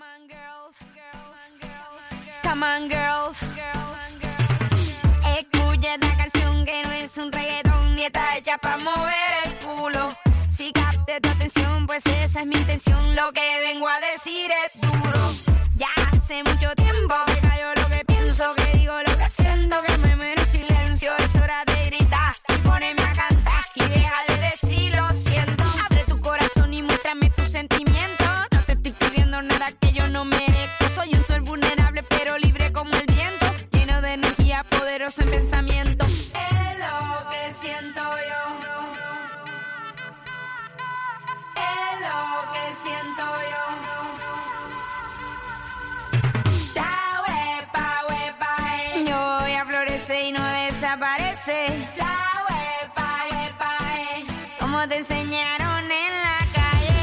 on, girls. Come on, girls. Escucha esta canción que no es un reggaetón y está hecha para mover el culo. Si capte tu atención, pues esa es mi intención. Lo que vengo a decir es duro. Ya hace mucho tiempo que callo lo que pienso, que digo lo que siento, que me muero en silencio. Es hora de gritar y ponerme a cantar y deja de decir lo siento. Abre tu corazón y muéstrame tus sentimientos. No te estoy pidiendo nada que yo no merezco. Soy un ser vulnerable pero libre como el viento, lleno de energía, poderoso en pensamiento. Es lo que siento yo. Es lo que siento yo. La huepa, yo voy a florecer y no desaparece. La huepa, como te enseñaron en la calle.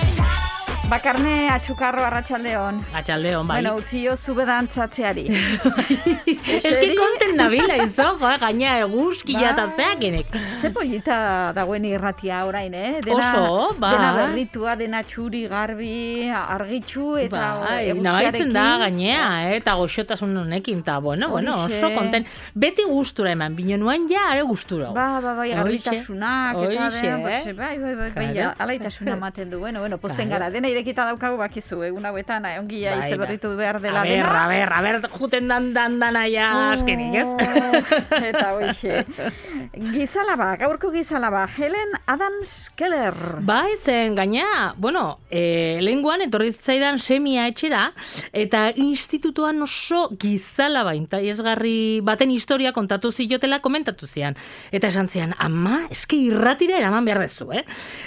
Bakarne atxukarro arratsaldeon. Atxaldeon, bai. Bueno, utzio zube dantzatzeari. Eski konten nabila izo, gaina eguzkia eta zeakenek. Ze polita dagoen irratia orain, Oso, bai. Dena berritua, dena txuri, garbi, argitxu, eta nabaritzen da gainea, eta goxotasun honekin, eta bueno, oso konten. Beti gustura eman, bino nuan ja, are gustura. Bai, garbitasunak, eta bai, alaitasuna ematen du, bueno, posten gara, dena irekita daukagu bakizu, egun hauetan, ongia ize berritu behar dela dena. A ber, juten dana ja askenik, ez? Eta hoxe. Gizalaba, gaurko gizalaba, Helen Adams Keller. Bai, zen gaina, bueno, lehenguan etorri zaidan semia etxera, eta institutuan oso gizalaba interesgarri baten historia kontatu ziotela komentatu zian. Eta esan zian, ama, eske irratira eraman behar dezu,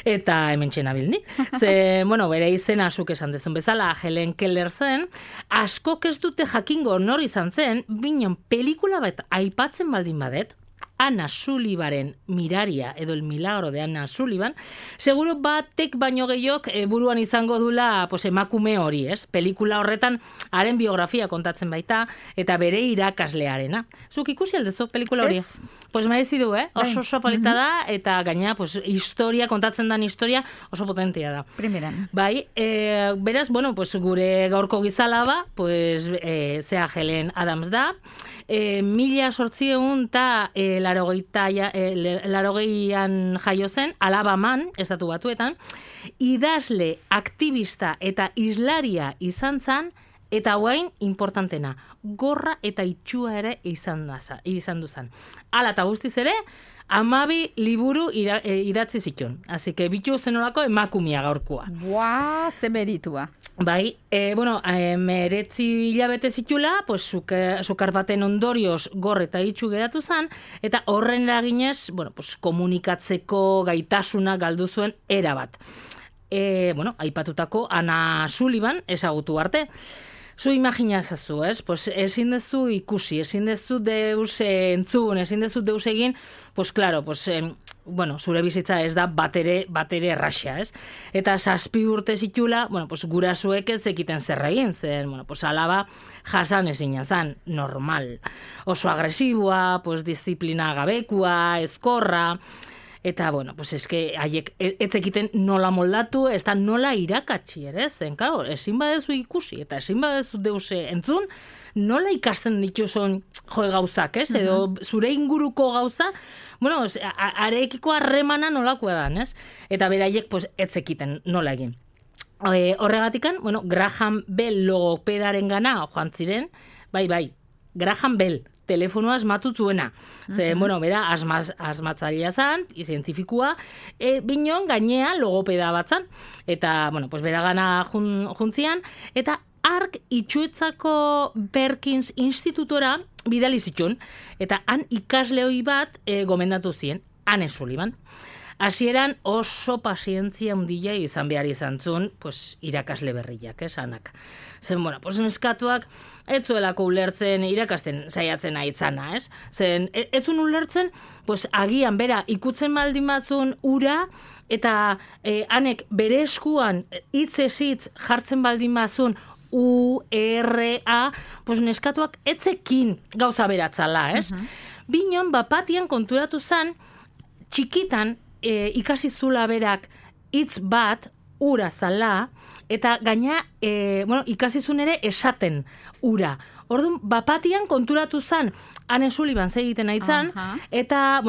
Eta hemen txena bilni. Ze, bueno, bere izena zuk esan dezun bezala, Helen Keller zen, askok ez dute jakingo nor izan zen, binon pelikula bat aipatzen baldin badet, Anna Sullivaren Miraria edo El Milagro de Anna Sullivan, seguro batek baino gehiok buruan izango dula emakume hori, ez? Pelikula horretan haren biografia kontatzen baita eta bere irakaslearena. Zuk ikusi aldezu pelikula hori? Pues merezi du, oso polita da eta gaina historia kontatzen dan historia oso potentia da. Primeran. Bai, beraz, bueno, gure gaurko gizalaba, zea Helen Adams da, 1800 eta 80an jaio zen, Alabaman, estatu batuetan, idazle, aktivista eta islaria izan zen, eta guain, importantena, gorra eta itxua ere izan duzan. Hala eta guztiz ere, 12 liburu idatzi zituen. Así que bitu zenolako emakumia gaurkoa. Buah, ze meritua. Bai, meretzi hilabete zitula, sukar baten ondorioz gor eta itxu geratu zen, eta horren eraginez, komunikatzeko gaitasuna galdu zuen erabat. Aipatutako Anna Sullivan ezagutu arte. Zu imaginazazu, ez? Ezin dezu ikusi, ezin dezu deus entzun, ezin dezu deus egin, zure bizitza ez da batere erraxa, ez? Eta 7 urte zitula, gurasoek ez zekiten zer egin, zen, alaba jasan ezina zan, normal. Oso agresiboa, disiplina gabekua, ezkorra, eta, eske, haiek etzekiten nola moldatu, ez da nola irakatsi ere, zen, ezin badezu ikusi, eta ezin badezu deuse entzun, nola ikasten dituzun gauzak, ez? Edo zure inguruko gauza, arekiko harremana nolakoa da, ez? Eta beraiek, etzekiten nola egin. Horregatikan, Graham Bell logopedaren gana joan ziren, bai, Graham Bell, telefonoa asmatutuena. Bera, asmatzailea zan, zientifikua, binon gainea logopeda bat zan. Eta, bera gana juntzian, eta ark itxuetzako Perkins Institutora bidali zituen, eta han ikasleoi bat gomendatu zien, Anne Sullivan. Hasieran oso pazientzia handia izan behar izan zuen, irakasle berriak, esanak. Zen, neskatuak ez zuelako ulertzen irakasten saiatzen aitzana, ez? Zen, ez zuen ulertzen, agian bera ikutzen baldin batzun ura, eta hanek bere eskuan hitz jartzen baldin batzun U-R-A, neskatuak etzekin gauza beratzala, ez? Binon, bapatian konturatu zen, txikitan ikasi zula berak hitz bat ura zala, eta gaina, ikasizun ere esaten ura. Orduan, bapatian konturatu zan, Anne Sullivan egiten aitzan, eta,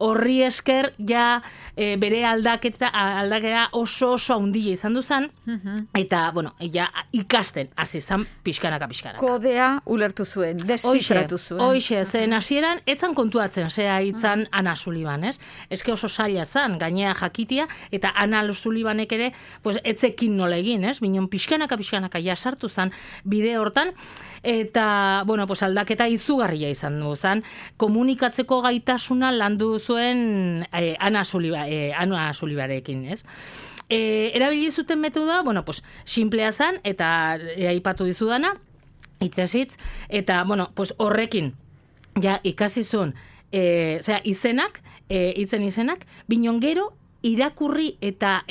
horri esker, bere aldakera oso handia izan duzan, eta, ikasten, hasi zan pixkanaka. Kodea ulertu zuen, destifratu zuen. Hoxe, zen hasieran, etzan kontuatzen, zea itzan Anna Sullivan, ez? Eske oso zaila zan, gainea jakitia, eta Anna Sullivanek ere, etzekin nola egin, ez? Binon pixkanaka jasartu zan bide hortan, eta, aldaketa izugarria izan du zan, komunikatzeko gaitasuna landu zuen Anna Sullivanekin, ez? Erabili zuten metoda, simplea zan, eta aipatu dizudana, hitzez, eta, horrekin, ikasizun, izenak, binon gero, irakurri eta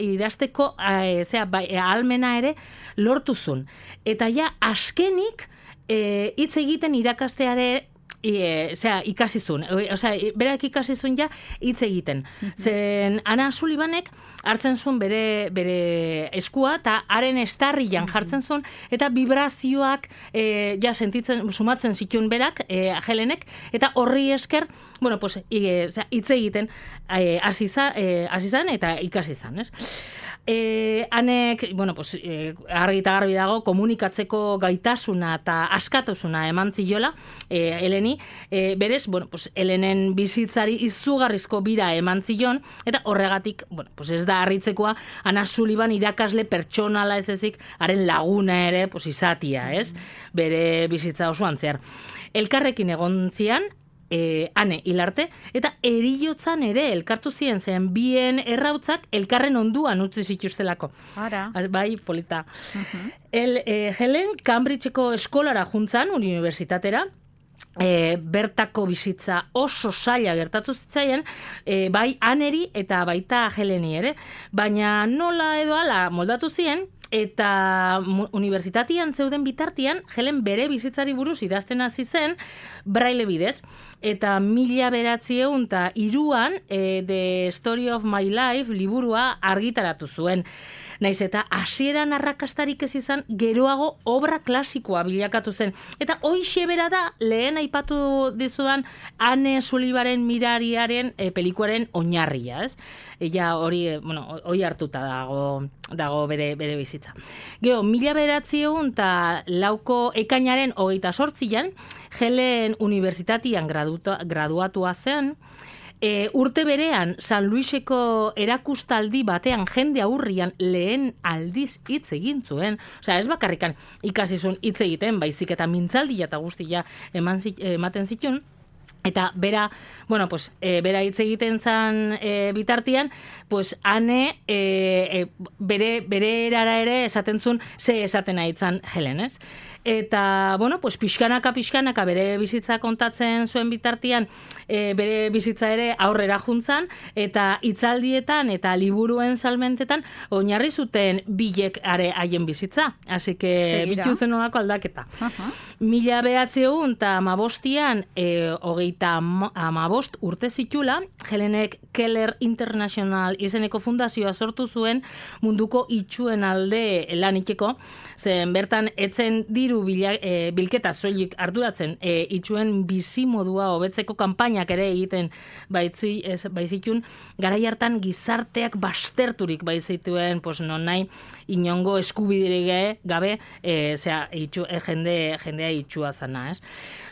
idazteko ahalmena ere lortuzun. Eta askenik hitz egiten irakasteare ikasizun. Berak ikasizun hitz egiten. Zen Anna Sullivanek hartzen zuen bere eskua eta haren estarrian jartzen zuen eta vibrazioak sumatzen zituen berak, Helenek, eta horri esker hitz egiten hasi zan eta ikasi zan, ez? Hanek, argi eta garbi dago, komunikatzeko gaitasuna eta askatasuna eman ziola, Heleni, berez, Helenen bizitzari izugarrizko bira eman zion, eta horregatik, ez da harritzekoa, Anna Sullivan irakasle pertsonala ez ezik, haren laguna ere, izatia, ez? Bere bizitza osoan zehar. Elkarrekin egon zian, Ane hilarte, eta eriotzan ere elkartu ziren, zen bien errautzak elkarren onduan utzi zituztelako. Bai, polita. Helen, Cambridgeko eskolara juntzan, unibertsitatera, bertako bizitza oso zaila gertatu zitzaien, bai Aneri eta baita Heleni ere, baina nola edo ala moldatu ziren, eta unibertsitatean zeuden bitartian, Helen bere bizitzari buruz idazten hasi zen, braille bidez, eta 1903an The Story of My Life liburua argitaratu zuen. Naiz eta hasieran arrakastarik ez izan, geroago obra klasikoa bilakatu zen. Eta hoixe bera da, lehen aipatu dizudan Anne Sullivanen mirariaren pelikuaren oinarria, ez? Hori hartuta dago bere bizitza. Gero, 1904ko ekainaren 28an, Helen unibertsitatean graduatua zen, urte berean, San Luiseko erakustaldi batean jende aurrian lehen aldiz hitz egin zuen. Ez bakarrikan ikasizun hitz egiten, baizik eta mintzaldia eta guztia ematen zituen. Eta bera hitz egiten zan bitartian, Ane bere erara ere esaten zuen ze esaten aitzan Helen, ez? Eta, pixkanaka bere bizitza kontatzen zuen bitartian, bere bizitza ere aurrera juntzan, eta hitzaldietan eta liburuen salmentetan oinarri zuten bilek are haien bizitza. Así que, bitu zen olako aldaketa. 1915an, 35 urte zitula, Helenek Keller International izeneko fundazioa sortu zuen munduko itxuen alde lan itxeko, zen bertan etzen diru bilketa soilik arduratzen, itxuen bizimodua hobetzeko kanpainak ere egiten baizitun, garai hartan gizarteak basterturik baizituen, non nahi inongo eskubiderik gabe, jendea itxua zana, ez?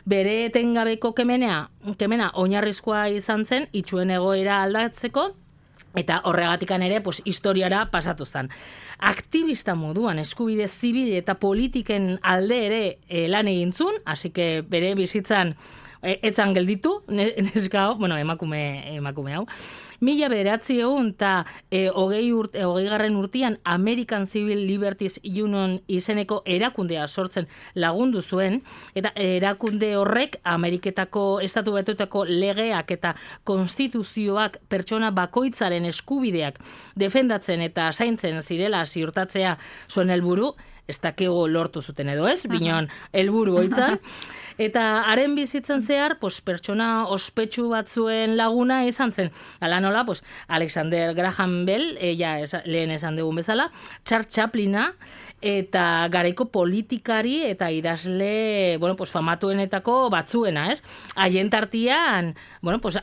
Bere etengabeko kemena oinarrizkoa izan zen, itxuen egoera aldatzeko, eta horregatikan ere, historiara pasatu zen. Aktivista moduan eskubide zibil eta politiken alde ere lan egintzun, hasi que bere bizitzan etzan gelditu, neska hau, emakume hau. 1920 urtean American Civil Liberties Union izeneko erakundea sortzen lagundu zuen, eta erakunde horrek Ameriketako Estatu Batuetako legeak eta konstituzioak pertsona bakoitzaren eskubideak defendatzen eta zaintzen zirela ziurtatzea zuen helburu, ez dakigu lortu zuten edo ez, binon helburu hoitzan. Eta haren bizitzen zehar, pertsona ospetsu batzuen laguna izan zen. Hala nola, Alexander Graham Bell, lehen esan dugun bezala, Charles Chaplina, eta garaiko politikari eta idazle, famatuenetako batzuena, ez? Haien tartian,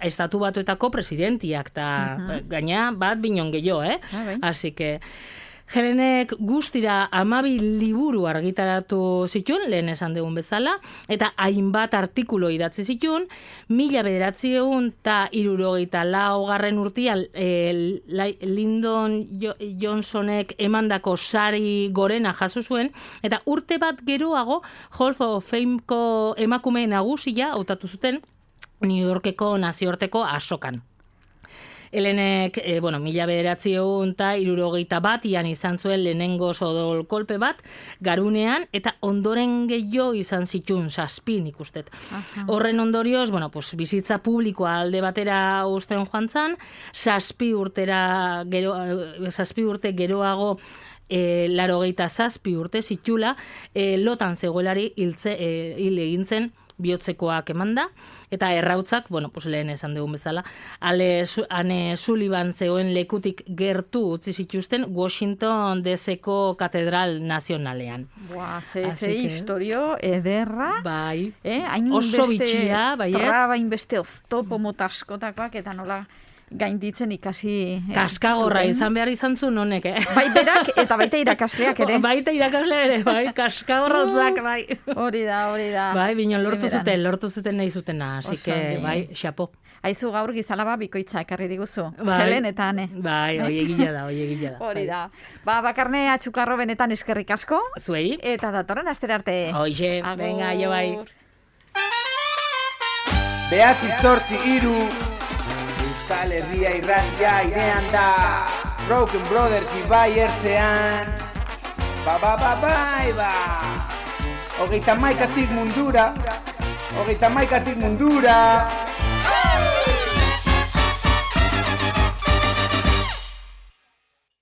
estatu batuetako presidentiak, eta gaina bat binon gehiago, Así que Helenek guztira 12 liburu argitaratu zituen, lehen esan dugun bezala, eta hainbat artikulo idatzi zituen, 1964 urtean Lyndon Johnsonek emandako sari gorena jaso zuen, eta urte bat geroago Hall of Fameko emakume nagusia hautatu zuten New Yorkeko nazioarteko azokan. Helenek, 1961 izan zuen lehenengo sodol kolpe bat, garunean, eta ondoren gehiago izan zituen 7 ikustet. Horren ondorioz, bizitza publikoa alde batera uzten joan zan, 7 urte geroago 87 urte zitula, lotan zegoelari hil egin zen bihotzekoak emanda, eta errautzak, lehen esan dugun bezala, Anne Sullivan zegoen lekutik gertu utzi zituzten Washington DC-ko katedral nazionalean. Ze historio ederra. Bai, oso bitxia, bai ez? Traba inbeste oztopo motaskotakoak, eta nola gainditzen ikasi... Kaskagorra izan behar izan zuen honek, Bai berak eta baita irakasleak ere. Baita irakasleak ere, bai, kaskagorra hotzak, bai. Hori da. Bai, binon lortu zuten nahi zutena, así que, bai, xapo. Aizu gaur gizalaba bikoitza ekarri diguzu, Helen eta Ane. Bai, oiegila da. Hori da. Bakarne Atxukarro benetan eskerrik asko. Zuei. Eta datorren astera arte. Oixe, venga, jo bai. 9-8-3 Euskal Herria irratia irean da Broken Brothers ibai ertzean Bai 31 mundura